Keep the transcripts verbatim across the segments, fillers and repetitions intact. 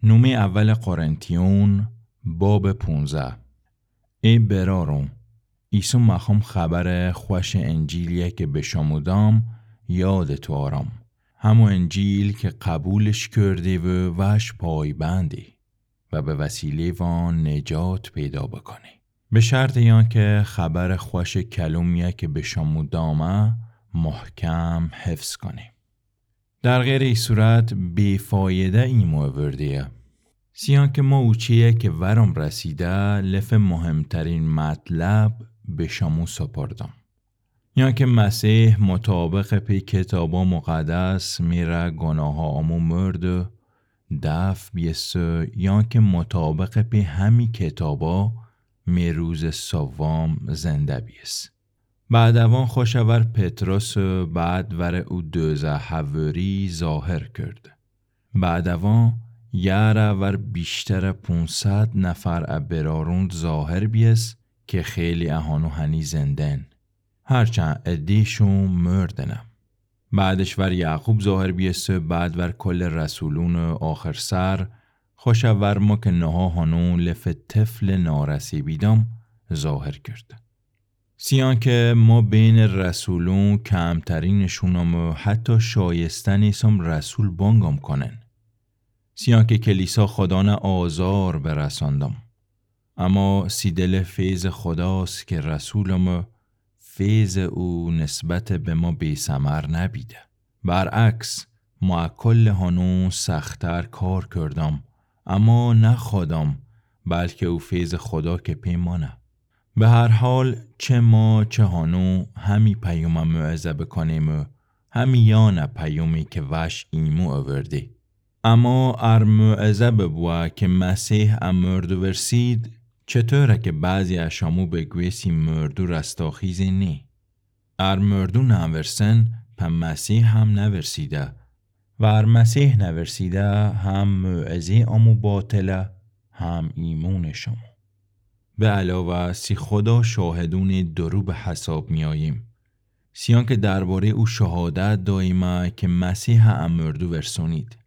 نومه اول قرنتیون، باب پونزده. ای برارون، ایسو مخوم خبر خوش انجیلیه که به شمو دام یادتو آرم. همو انجیل که قبولش کردی و وش پایبندی و به وسیله وان نجات پیدا بکنی. به شرط یان که خبر خوش کلومیه که به شمو دامه محکم حفظ کنی. در غیر ای صورت بی‌فایده ایمو اورده‌یه. سیان که ما اوچه‌یه که ورم رسیده، لف مهمترین مطلب به شمو سپردم. یان که مسیح مطابق پی کتابا مقدس می ره گناها امو مرد دفن بیسه، یان که مطابق پی همی کتابا می روز سوم زنده بیس. بعد اوان خوش ور پطرس و بعد ور او دوزده حواری ظاهر کرد. بعد اوان یه ره ور بیشتر پونصد نفر ا برارون ظاهر بیس که خیلی ا هانو هنی زندن. هرچند ادیشون مردنه. بعدش ور یعقوب ظاهر بیسه، بعد ور کل رسولون آخر سر، خوش ور ما که نها هانو لف طفل نارسی بیدم ظاهر کرد. سیان که ما بین رسولون کمترینشونم و حتی شایسته نیسم رسول بانگم کنن. سیان که کلیسا خدانه آزار برساندم. اما سی دل فیض خداست که رسولم و فیض او نسبت به ما بی‌ثمر نبیده. برعکس، ما کل هانو سخت‌تر کار کردم، اما نه خودم، بلکه او فیض خدا که پی مانه. به هر حال، چه ما چه هانو همی پیام موعظه بکنیم و همی یان پیامی که وش ایمو اوردی. اما ار موعظه ببوه که مسیح ا مردو ورسید، چطوره که بعضی ا شمو بگویسی مردو رستاخیزی نی؟ ار مردو نورسن، په مسیح هم نورسیده. و ار مسیح نورسیده، هم موعظه امو باطله، هم ایمون شمو. به علاوه سی خدا شاهدون درو به حساب میاییم. سیان که درباره او شهادت داییمه که مسیح ا مردو ورسونید.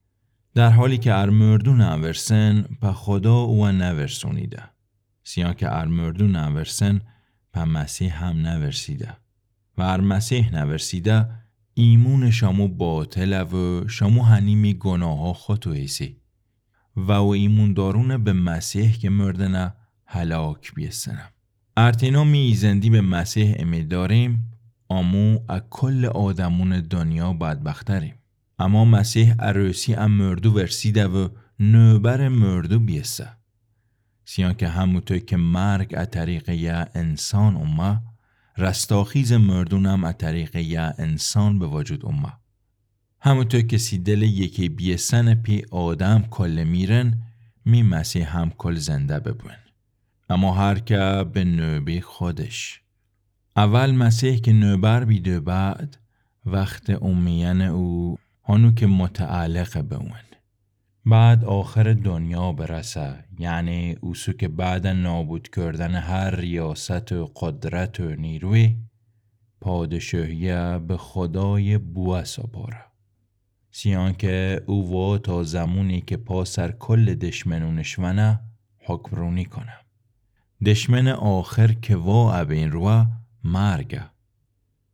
در حالی که ار مردو نورسن، په خدا او نورسونیده. سیان که ار مردو نورسن، په مسیح هم نورسیده. و ار مسیح نورسیده، ایمون شمو باطله و شمو هنی می گناها خوتو ایسی. و او ایمون دارون به مسیح که مردنه هلاک بیسنه. ار تنها می ایزندی به مسیح امید داریم، امو ا کل آدمون دنیا بدبخت‌تریم. اما مسیح عروسی ا مردو ورسیده و نوبر مردو بیسه. سیان که هموطو که مرگ ا طریق یه انسان اومه، رستاخیز مردونم ا طریق یه انسان به وجود اومه. هموطو که سی دل یکی بیسن پی آدم کل میرن، می مسیح هم کل زنده ببون. اما هر که به نوبه خودش. اول مسیح که نوبر بیده، بعد وخت اومیدن او هانو که متعلق به اون. بعد آخر دنیا برسه، یعنی اوسو که بعد نابود کردن هر ریاست و قدرت و نیروی، پادشاهی به خدای بوه سپاره. سیان که او وا تا زمونی که پا سر کل دشمنونش ونه، حکمرونی کنه. دشمن آخر که وا ابین روه، مرگه.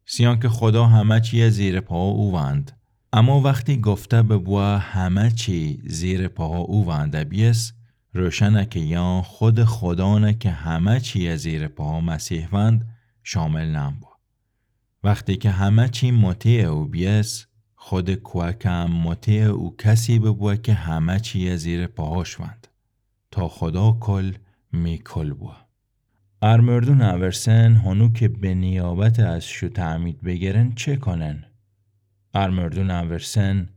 سیان که خدا همه چیه زیر پاها او وند. اما وختی گفته ببوه همه چی زیر پاها او ونده بیس، روشنه که یان خود خدانه که همه چیه زیر پاها مسیح وند، شامل نمبوه. وختی که همه چی مطیع او بیس، خود کوکم مطیع او کسی ببوه که همه چیه زیر پاهاش وند. تا خدا کل می کل بوه. ار مردو نورسن، هانو که به نیابت از شو تعمید بگرن، چه کنن؟ ار مردو نورسن،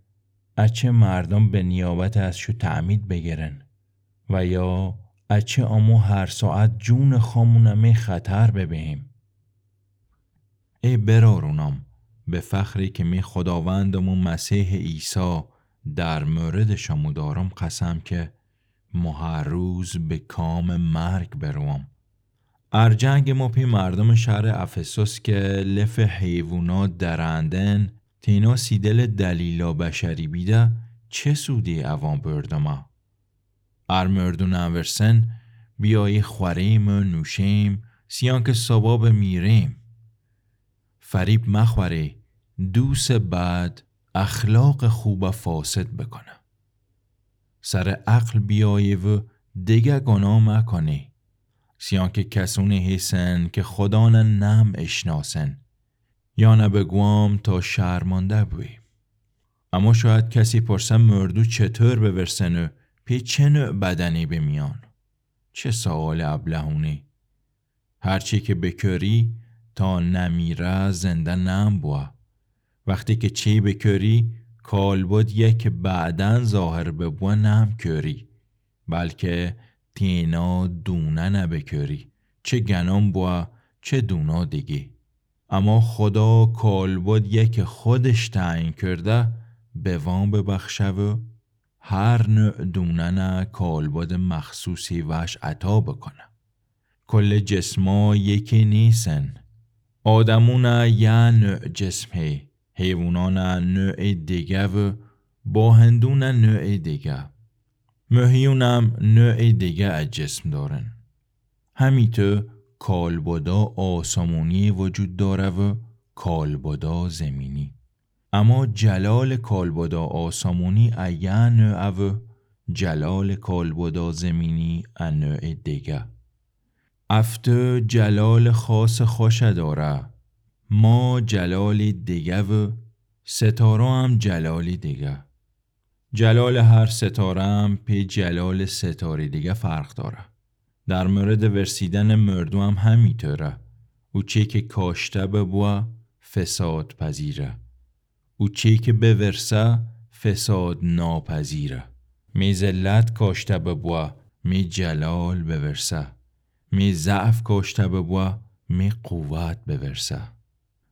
اچه مردم به نیابت از شو تعمید بگرن؟ و یا اچه امو هر ساعت جون خامونه می خطر ببهیم؟ ای برارونم، به فخری که می خداوندم و مسیح عیسی در مورد شمو دارم قسم که مو هر روز به کام مرگ بروم. ار جنگ مو پی مردم شهر افسوس که لف حیوونا درندن، تینا سی دل دلیلا بشری بیده، چه سودی اوان بردمه؟ ار مردو نأورسن، بیایی خوأریم و نوشیم، سیان که صابا بمیریم. فریب مخوأری، دوست بد اخلاق خوبه فاسد بکنه. سر عقل بیایی و دگه گناه مکنی، سیان که کسونی هیسن که خودانه نم اشناسن. یانه بگوام تا شرمانده بوی. اما شاید کسی پرسه مردو چطور بورسن و پی چه نوع بدنی بمیان؟ چه سؤال ابلهونی! هرچی که بکری تا نمیره زنده نم بوه. وختی که چی بکری، کالبدیه که بعداً ظاهر ببوه نم کری، بلکه تینا دوننه بکری، چه گنم بوه چه دونا دیگی. اما خدا کالبدیه که خودش تعیین کرده به وام ببخشه و هر نوع دوننه کالبد مخصوصی وش عطا بکنه. کل جسما یکی نیسن. آدمونه یه نوع جسم هی، حیوانانه نوع دیگه و باهندونه نوع دیگه. مهیونم نوع دیگه از جسم دارن. همیطو کالبدا آسمونی وجود داره و کالبدا زمینی. اما جلال کالبدا آسمونی ا یه نوع و جلال کالبدا زمینی ا نوع دیگه. افتو جلال خاص خوشه داره. ما جلال دیگه و ستاره هم جلال دیگه. جلال هر ستاره هم پی جلال ستاره دیگه فرق داره. در مورد ورسیدن مردو هم همیطوره. او چی که کاشته ببوه فساد پذیره. او چی که بورسه فساد ناپذیره. می ذلت کاشته ببوه می جلال بورسه. می ضعف کاشته ببوه می قوت بورسه.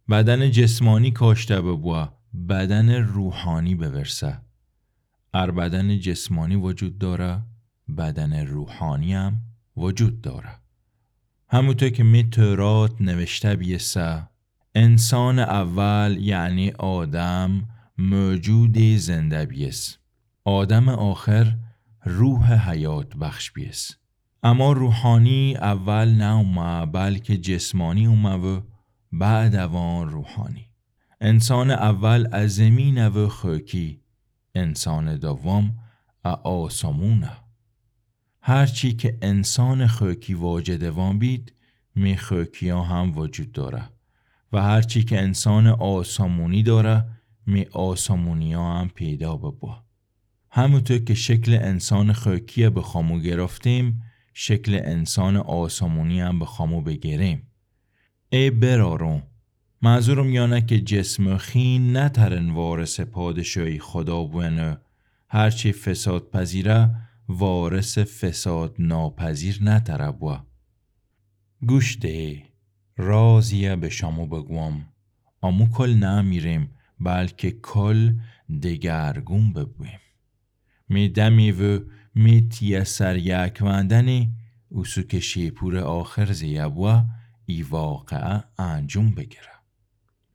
بدن جسمانی کاشته ببوه بدن روحانی بورسه. ار بدن جسمانی وجود داره، بدن روحانی هم وجود داره. همونطور که می تورات نوشته بیسه، انسان اول یعنی آدم موجود زنده بیس. آدم آخر روح حیات بخش بیس. اما روحانی اول نومه، بلکه جسمانی اومه و بعد اوان روحانی. انسان اول ا زمینه و خاکی، انسان دوم ا آسمونه. هرچی که انسان خاکی واجد وان بید، می خاکیا هم وجود داره و هرچی که انسان آسمونی داره، می آسمونیا هم پیدا ببوه. همونطور که شکل انسان خاکیه به خامو گرفتیم، شکل انسان آسمونی هم به خامو بگریم. ای برارون، منظورم یانه که جسم خین نترن وارث پادشاهی خدا بوئن و هرچی فساد پذیره وارث فساد ناپذیر نتره بوه. گوش دهی، رازیه به شمو بگوم. امو کل نمیریم، بلکه کل دگرگون ببویم. می دمی و می تیه سر یک وندنی، اوسو که شیپور آخر زیه بوه، ای واقعه انجوم بگیره.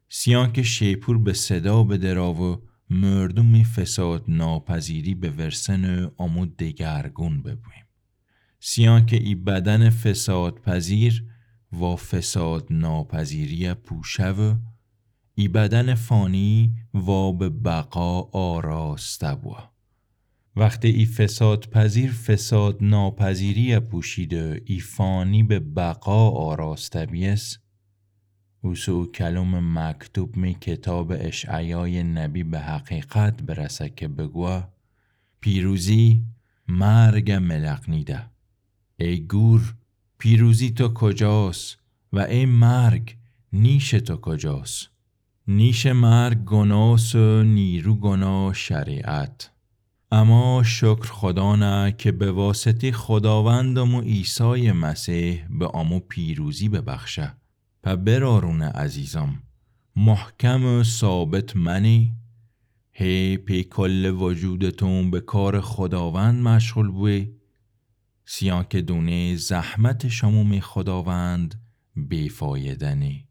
سیان که شیپور به صدا بدرا و مردومی فساد ناپذیری بورسن و امو دگرگون ببویم. سیان که ای بدن فساد پذیر و فساد ناپذیری پوشه و ای بدن فانی و به بقا آراسته بوه. وقتی ای فساد پذیر فساد ناپذیری پوشید و ای فانی به بقا آراسته بیس، اوسو او کلم مکتوب می کتاب اشعیای نبی به حقیقت برسه که بگوه: پیروزی مرگ ملقنیده. ای گور، پیروزی تو کجاس؟ و ای مرگ، نیش تو کجاس؟ نیش مرگ گناس و نیرو گنا شریعت. اما شکر خدانه که به واسطه خداوندم و عیسی مسیح به امو پیروزی ببخشه. په برارون عزیزم، محکم و ثابت منی، هی پی کل وجودتون به کار خداوند مشغول بوی، سیان که دونی زحمت شمو می خداوند بی‌فایده نی.